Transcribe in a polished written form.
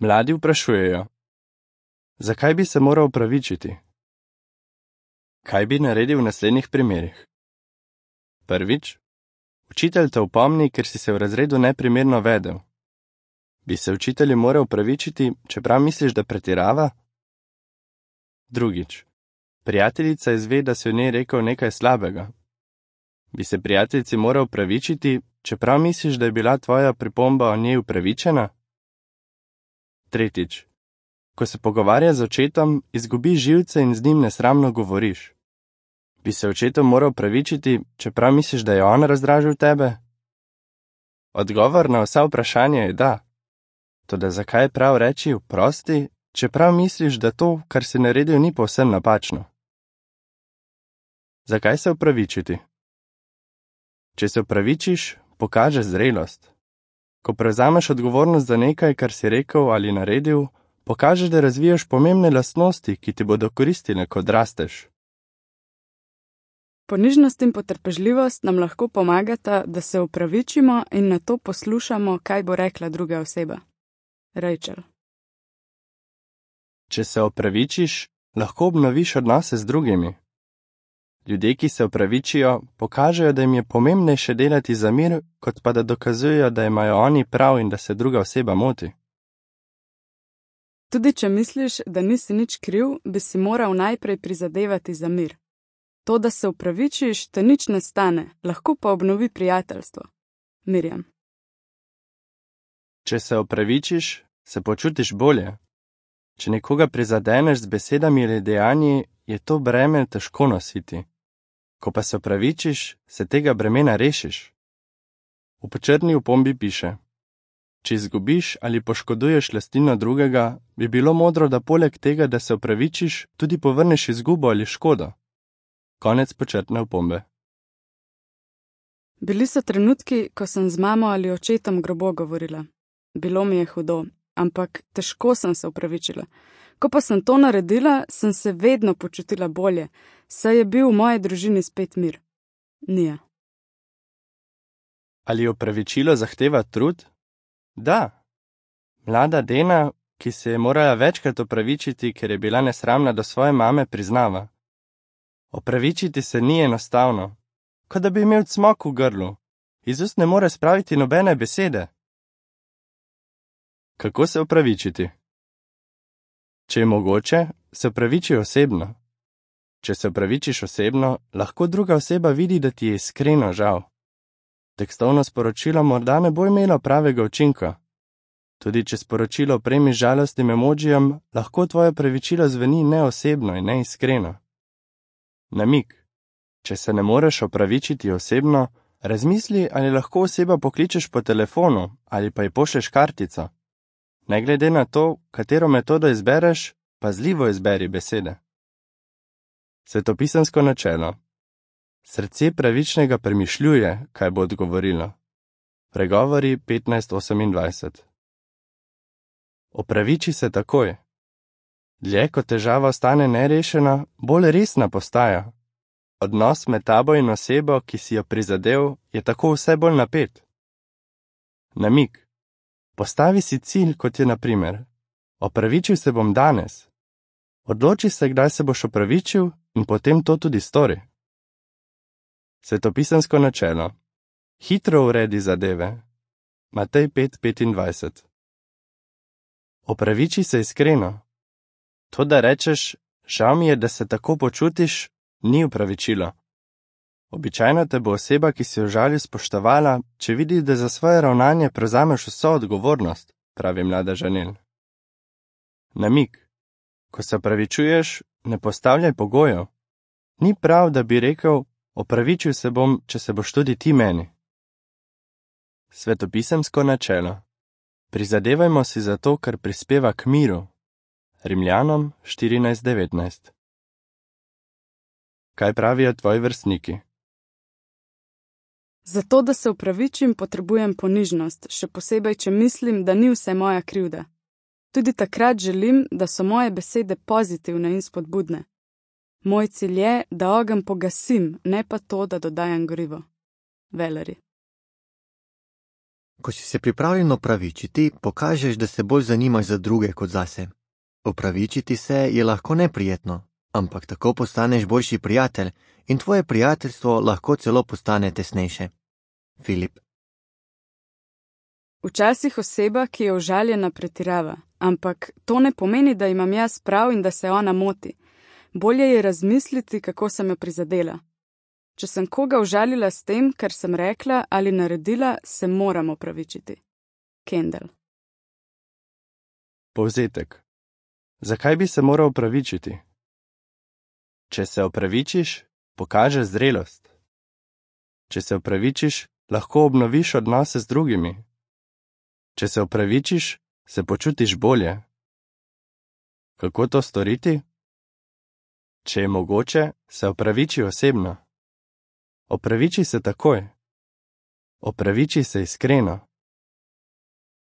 Mladi vprašujejo: zakaj bi se moral opravičiti? Kaj bi naredil v naslednjih primerih? Prvič, učitelj te opomni, ker si se v razredu neprimerno vedel. Bi se učitelju moral opravičiti, čeprav misliš, da pretirava? Drugič, prijateljica izve, da si o njej rekel nekaj slabega. Bi se prijateljici moral opravičiti, čeprav misliš, da je bila tvoja pripomba o njej upravičena? Tretjič, ko se pogovarja z očetom, izgubiš živce in z njim nesramno govoriš. Bi se očetu moral opravičiti, čeprav misliš, da je on razdražil tebe? Odgovor na vsa vprašanja je da. Toda zakaj je prav reči oprosti, čeprav misliš, da to, kar si naredil, ni povsem napačno? Zakaj se opravičiti? Če se opravičiš, pokaže zrelost. Ko prevzameš odgovornost za nekaj, kar si rekel ali naredil, pokažeš, da razvijaš pomembne lastnosti, ki ti bodo koristile, ko odrasteš. Ponižnost in potrpežljivost nam lahko pomagata, da se opravičimo in nato poslušamo, kaj bo rekla druga oseba. Rachel. Če se opravičiš, lahko obnoviš odnose z drugimi. Ljudje, ki se opravičijo, pokažejo, da jim je pomembnejše delati za mir, kot pa da dokazujejo, da imajo oni prav in da se druga oseba moti. Tudi če misliš, da nisi nič kriv, bi si moral najprej prizadevati za mir. To, da se opravičiš, te nič ne stane, lahko pa obnovi prijateljstvo. Mirjam. Če se opravičiš, se počutiš bolje. Če nekoga prizadeneš z besedami ali dejanji, je to breme težko nositi. Ko pa se opravičiš, se tega bremena rešiš. V počrni opombi piše: če izgubiš ali poškoduješ lastnino drugega, bi bilo modro, da poleg tega, da se opravičiš, tudi povrneš izgubo ali škodo. Konec počrtne opombe. Bili so trenutki, ko sem z mamo ali očetom grobo govorila. Bilo mi je hudo, ampak težko sem se opravičila. Ko pa sem to naredila, sem se vedno počutila bolje, saj je bil v moji družini spet mir. Nija. Ali opravičilo zahteva trud? Da. Mlada Dena, ki se je morala večkrat opravičiti, ker je bila nesramna do svoje mame, priznava: opravičiti se ni enostavno, kot da bi imel cmok v grlu. Iz ust ne more spraviti nobene besede. Kako se opravičiti? Če je mogoče, se opraviči osebno. Če se opravičiš osebno, lahko druga oseba vidi, da ti je iskreno žal. Tekstovno sporočilo morda ne bo imelo pravega učinka. Tudi če sporočilo opremiš žalostnim emojijem, lahko tvoje opravičilo zveni neosebno in neiskreno. Namig. Če se ne moreš opravičiti osebno, razmisli, ali lahko oseba pokličeš po telefonu ali pa ji pošlješ kartico. Ne glede na to, katero metodo izbereš, pazljivo izberi besede. Svetopisemsko načelo. Srce pravičnega premišljuje, kaj bo odgovorilo. Pregovori 15:28. Opraviči se takoj. Dlje, ko težava ostane nerešena, bolj resna postaja. Odnos med tabo in osebo, ki si jo prizadel, je tako vse bolj napet. Namig. Postavi si cilj, kot je na primer: opravičil se bom danes. Odloči se, kdaj se boš opravičil in potem to tudi stori. Svetopisemsko načelo. Hitro uredi zadeve. Matej 5:25. Opraviči se iskreno. To, da rečeš: žal mi je, da se tako počutiš, ni opravičilo. Običajno te bo oseba, ki si jo žali, spoštovala, če vidi, da za svoje ravnanje prevzameš vso odgovornost, pravi mlada Žanel. Namig. Ko se opravičuješ, ne postavljaj pogojev. Ni prav, da bi rekel: opravičil se bom, če se boš tudi ti meni. Svetopisemsko načelo. Prizadevajmo si za to, kar prispeva k miru. Rimljanom 14:19. Kaj pravijo tvoji vrstniki? Zato, da se opravičim, potrebujem ponižnost, še posebej, če mislim, da ni vse moja krivda. Tudi takrat želim, da so moje besede pozitivne in spodbudne. Moj cilj je, da ogenj pogasim, ne pa to, da dodajam gorivo. Valerie. Ko si se pripravljen opravičiti, pokažeš, da se bolj zanimaš za druge kot zase. Opravičiti se je lahko neprijetno, ampak tako postaneš boljši prijatelj in tvoje prijateljstvo lahko celo postane tesnejše. Filip. Včasih oseba, ki je užaljena, pretirava, ampak to ne pomeni, da imam jaz prav in da se ona moti. Bolje je razmisliti, kako sem jo prizadela. Če sem koga užalila s tem, kar sem rekla ali naredila, se moram opravičiti. Kendall. Povzetek. Zakaj bi se moral opravičiti? Če se opravičiš, pokaže zrelost. Če se opravičiš, lahko obnoviš odnose z drugimi. Če se opravičiš, se počutiš bolje. Kako to storiti? Če je mogoče, se opraviči osebno. Opraviči se takoj. Opraviči se iskreno.